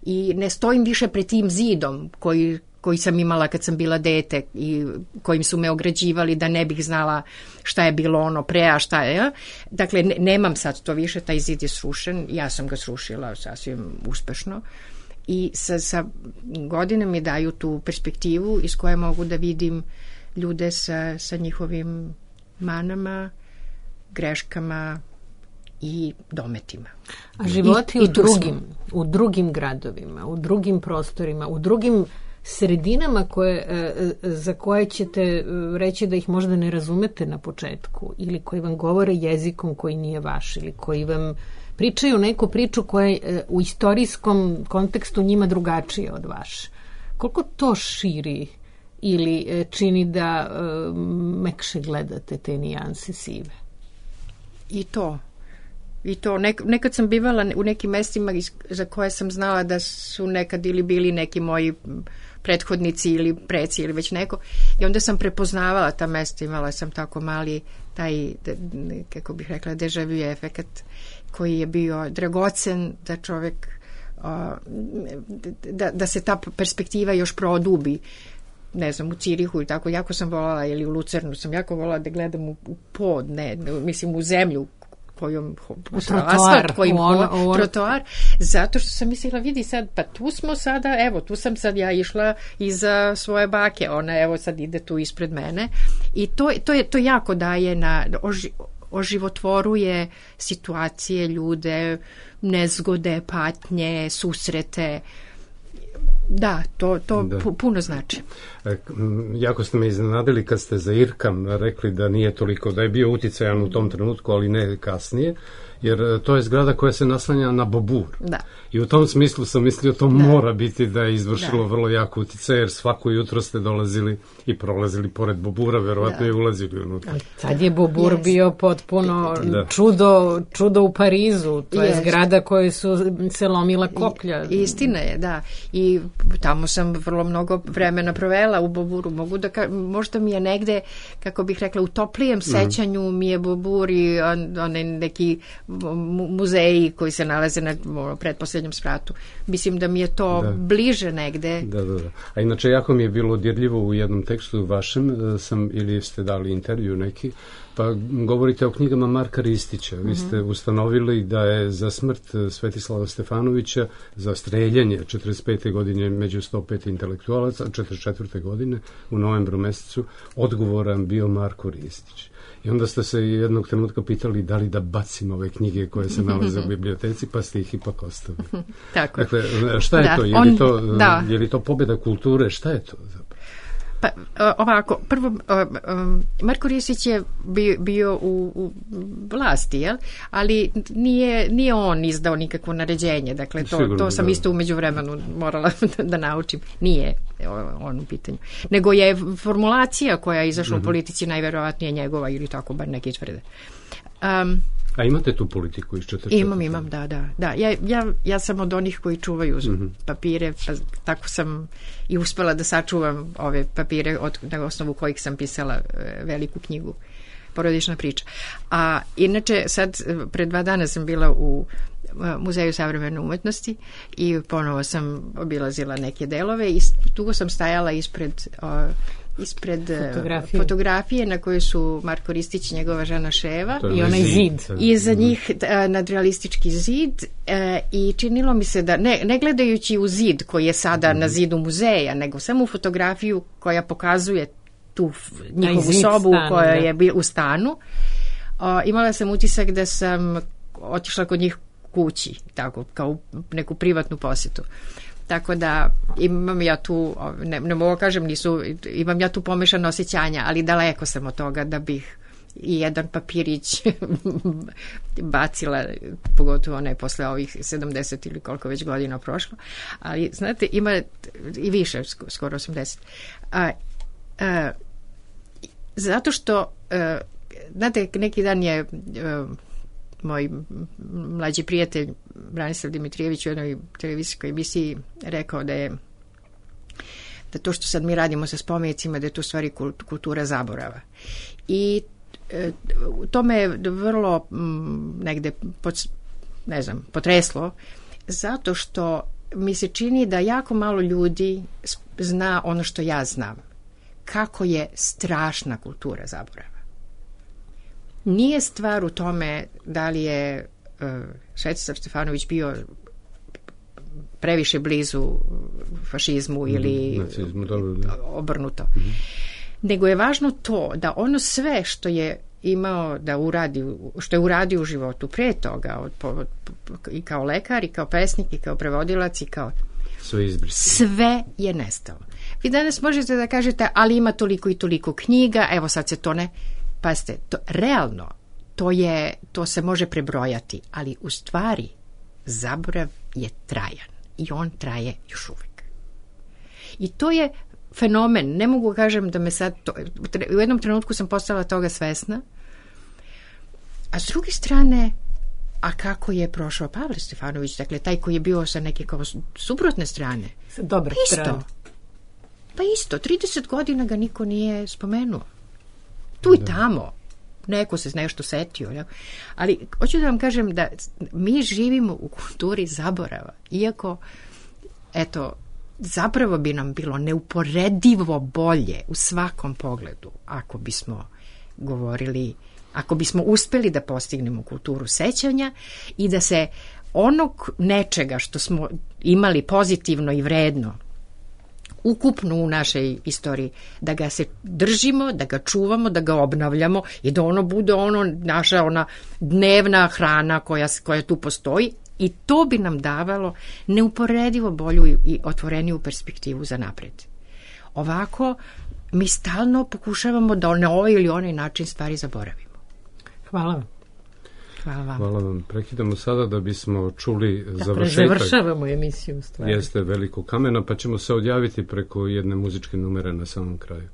i ne stojim više pred tim zidom koji, koji sam imala kad sam bila dete i kojim su me ograđivali da ne bih znala šta je bilo ono pre, a šta je. Ja? Dakle, ne, nemam sad to više, taj zid je srušen, ja sam ga srušila sasvim uspešno i sa, sa godine mi daju tu perspektivu iz koje mogu da vidim ljude sa, sa njihovim manama, greškama i dometima. A životi I, u i drugim, u drugim gradovima, u drugim prostorima, u drugim sredinama koje, za koje ćete reći da ih možda ne razumete na početku ili koji vam govore jezikom koji nije vaš ili koji vam pričaju neku priču koja je u istorijskom kontekstu njima drugačija od vaše. Koliko to širi ili čini da mekše gledate te nijanse sive? I to. I to, nek, nekad sam bivala u nekim mestima za koje sam znala da su nekad ili bili neki moji prethodnici ili preci ili već neko i onda sam prepoznavala ta mesta, imala sam tako mali taj, kako bih rekla, deja vu efekat koji je bio dragocen da čovek da, da se ta perspektiva još produbi. Ne znam, u Cirihu i tako, jako sam volala, ili u Lucernu sam jako volala da gledam u, u pod, ne, mislim u zemlju kojom u trotoar, kojim u on, u on. trotoar, zato što sam mislila, vidi sad, pa tu smo sada, evo, tu sam sad ja išla iza svoje bake, ona evo sad ide tu ispred mene i to, to, je, to jako daje na, oži, oživotvoruje situacije, ljude, nezgode, patnje, susrete. Da, to, to da. puno znači. E, jako ste me iznenadili kad ste za Irkam rekli da nije toliko, da je bio uticajan u tom trenutku, ali ne kasnije, jer to je zgrada koja se naslanja na Bobur. Da. I u tom smislu sam mislio to da. mora biti da je izvršilo da. vrlo jako uticaj, jer svako jutro ste dolazili i prolazili pored Bobura, verovatno da. je ulazili unutra. Sad je Bobur yes. bio potpuno da. čudo, čudo u Parizu, to yes. je zgrada koju su se lomila koplja. I, istina je, da. I tamo sam vrlo mnogo vremena provela u Boburu. Mogu da ka, možda mi je negde, kako bih rekla, u toplijem sećanju mi je Bobur i on, on neki muzeji koji se nalaze na pretposlednjem spratu. Mislim da mi je to da. bliže negde. Da, da, da. A inače, jako mi je bilo dirljivo u jednom tekstu vašem, sam, ili ste dali intervju neki, pa govorite o knjigama Marka Ristića. Vi ste mm-hmm. ustanovili da je za smrt Svetislava Stefanovića, za streljanje četrdeset pete godine među sto pet intelektualaca, četrdeset četvrte godine u novembru mesecu, odgovoran bio Marko Ristić. I onda ste se jednog trenutka pitali da li da bacim ove knjige koje se nalaze u biblioteci, pa ste ih ipak ostavili. Tako. Dakle, šta je da, to? Je li to, da. je li to pobjeda kulture? Šta je to zapravo? Pa ovako, prvo, Marko Ristić je bio u, u vlasti, jel? Ali nije, nije on izdao nikakvo naređenje, dakle to, Sigurno, to sam da. isto umeđu vremenu morala da, da naučim. Nije on u pitanju. Nego je formulacija koja je izašla mm-hmm. u politici najverovatnije njegova ili tako, bar neki tvrde. Um, A imate tu politiku iz četrdeset četvrte? Imam, imam, da, da. da. Ja, ja, ja sam od onih koji čuvaju mm-hmm. papire, pa tako sam i uspela da sačuvam ove papire od, na osnovu kojih sam pisala e, veliku knjigu Porodična priča. A inače, sad, pre dva dana sam bila u Muzeju savremene umetnosti i ponovo sam obilazila neke delove i dugo sam stajala ispred o, ispred fotografije. fotografije na kojoj su Marko Ristić i njegova žena Ševa i onaj zid. I za njih nadrealistički zid i činilo mi se da, ne, ne gledajući u zid koji je sada na zidu muzeja, nego samo u fotografiju koja pokazuje tu njihovu sobu stanu, koja da. je u stanu, o, imala sam utisak da sam otišla kod njih kući, tako, kao neku privatnu posjetu. Tako da imam ja tu, ne, ne mogu kažem, nisu, imam ja tu pomešano osjećanja, ali daleko sam od toga da bih i jedan papirić bacila, pogotovo ne posle ovih sedamdeset ili koliko već godina prošlo, ali znate, ima i više, skoro osamdeset. A, a, zato što, a, znate, neki dan je a, moj mlađi prijatelj Branislav Dimitrijević u jednoj televizijskoj emisiji rekao da je da to što sad mi radimo sa spomenicima, da je to u stvari kultura zaborava. I e, to me je vrlo m, negde pod, ne znam, potreslo, zato što mi se čini da jako malo ljudi zna ono što ja znam. Kako je strašna kultura zaborava. Nije stvar u tome da li je uh, Svetislav Stefanović bio previše blizu fašizmu mm, ili nacizmu, obrnuto. Mm-hmm. Nego je važno to da ono sve što je imao da uradi, što je uradio u životu pre toga, od, od, i kao lekar, i kao pesnik, i kao prevodilac, i kao sve, sve je nestalo. Vi danas možete da kažete, ali ima toliko i toliko knjiga, evo sad se to ne... Pazite, to, realno, to, je, to se može prebrojati, ali u stvari zaborav je trajan i on traje još uvek. I to je fenomen, ne mogu kažem da me sad, to, u jednom trenutku sam postala toga svesna, a s druge strane, a kako je prošao Pavle Stefanović, dakle, taj koji je bio sa neke kao suprotne strane. Dobre isto. strane. Pa isto, trideset godina ga niko nije spomenuo. Tu i tamo, neko se nešto setio. Ja? Ali hoću da vam kažem da mi živimo u kulturi zaborava. Iako, eto, zapravo bi nam bilo neuporedivo bolje u svakom pogledu ako bismo govorili, ako bismo uspeli da postignemo kulturu sećanja i da se onog nečega što smo imali pozitivno i vredno ukupno u našoj istoriji, da ga se držimo, da ga čuvamo, da ga obnavljamo i da ono bude ono naša ona dnevna hrana koja, koja tu postoji i to bi nam davalo neuporedivo bolju i otvoreniju perspektivu za napred. Ovako, mi stalno pokušavamo da na ovaj ili onaj način stvari zaboravimo. Hvala vam. Hvala vam. Hvala vam. Prekidamo sada da bismo čuli da završetak. Završavamo emisiju stvari. Jeste Velikog kamena, pa ćemo se odjaviti preko jedne muzičke numere na samom kraju.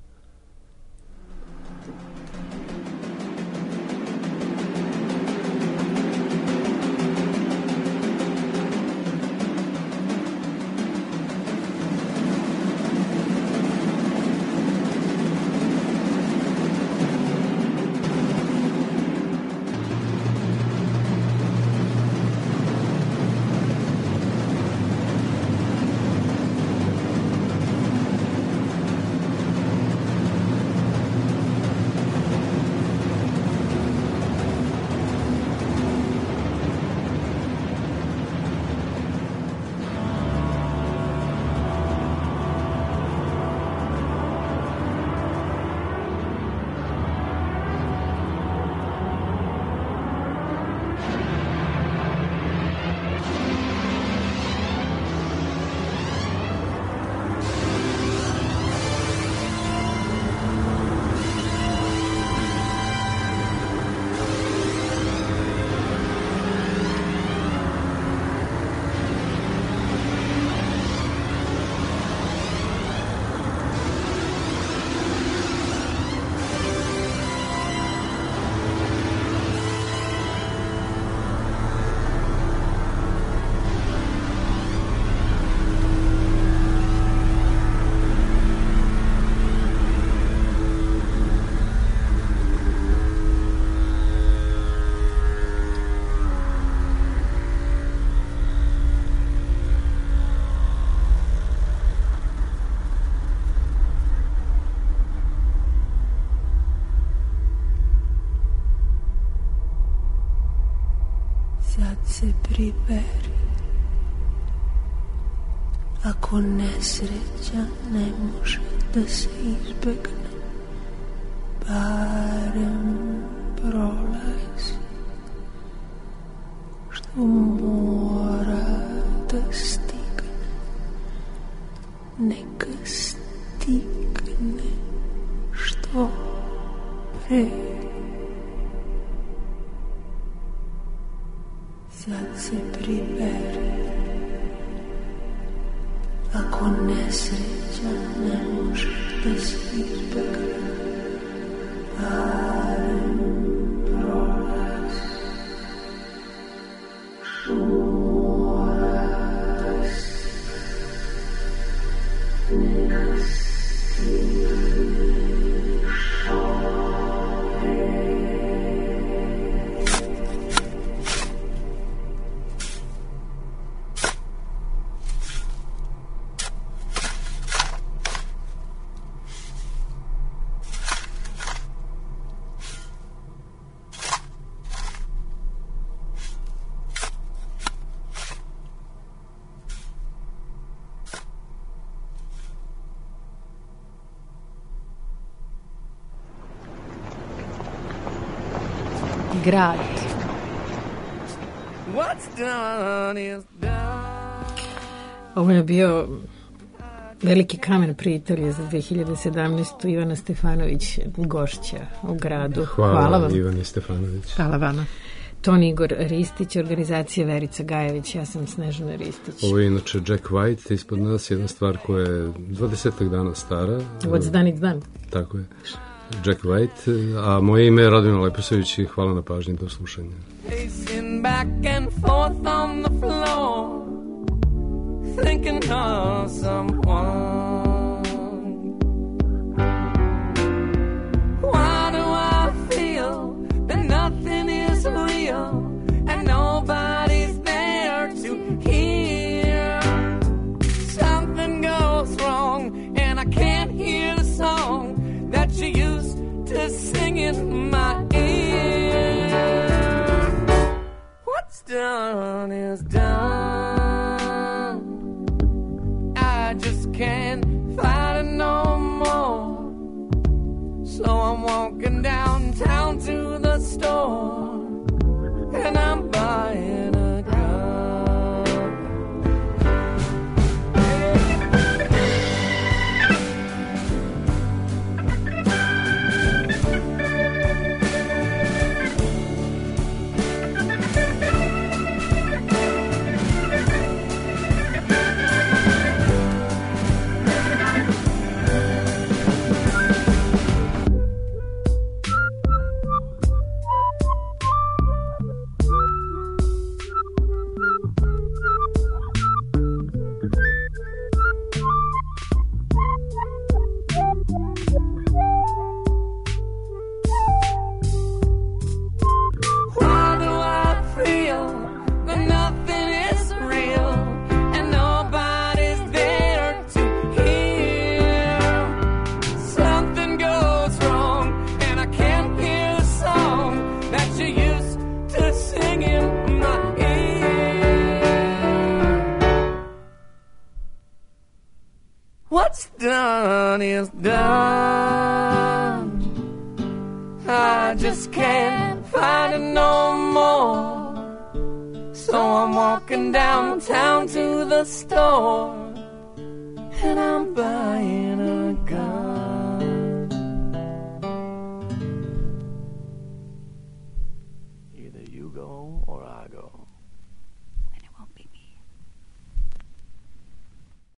Sad se priberi, ako nesreća ne može da se izbegne, barem prolazi, što mora da stigne, neka stigne što pre. Sad se priberi, ako nesreća ne može da se izbegne, barem prolazi, što mora da stigne, neka stigne što pre. Grad. Ovo je bio veliki kamen pri Italije za dve hiljade sedamnaestu. Ivana Stefanović, gošća u gradu. Hvala, Hvala vam. Ivani Stefanović. Hvala vama. Ton Igor Ristić, organizacija Verica Gajević, ja sam Snežana Ristić. Ovo je inače Jack White, ispod nas jedna stvar koja je dvadesetak dana stara. What's done, it's done. Tako je. Jack White, a moje ime je Radmila Leposavić i hvala na pažnji, do slušanja. Pacing back and forth on the floor, thinking of someone. Why do I feel that nothing is real and nobody's there to hear? Something goes wrong and I can't hear the song that you used to sing in my ear. What's done is done. I just can't fight it no more. So I'm walking downtown to the store and I'm buying a gun. What's done is done. I just can't find it no more. So I'm walking downtown to the store and I'm buying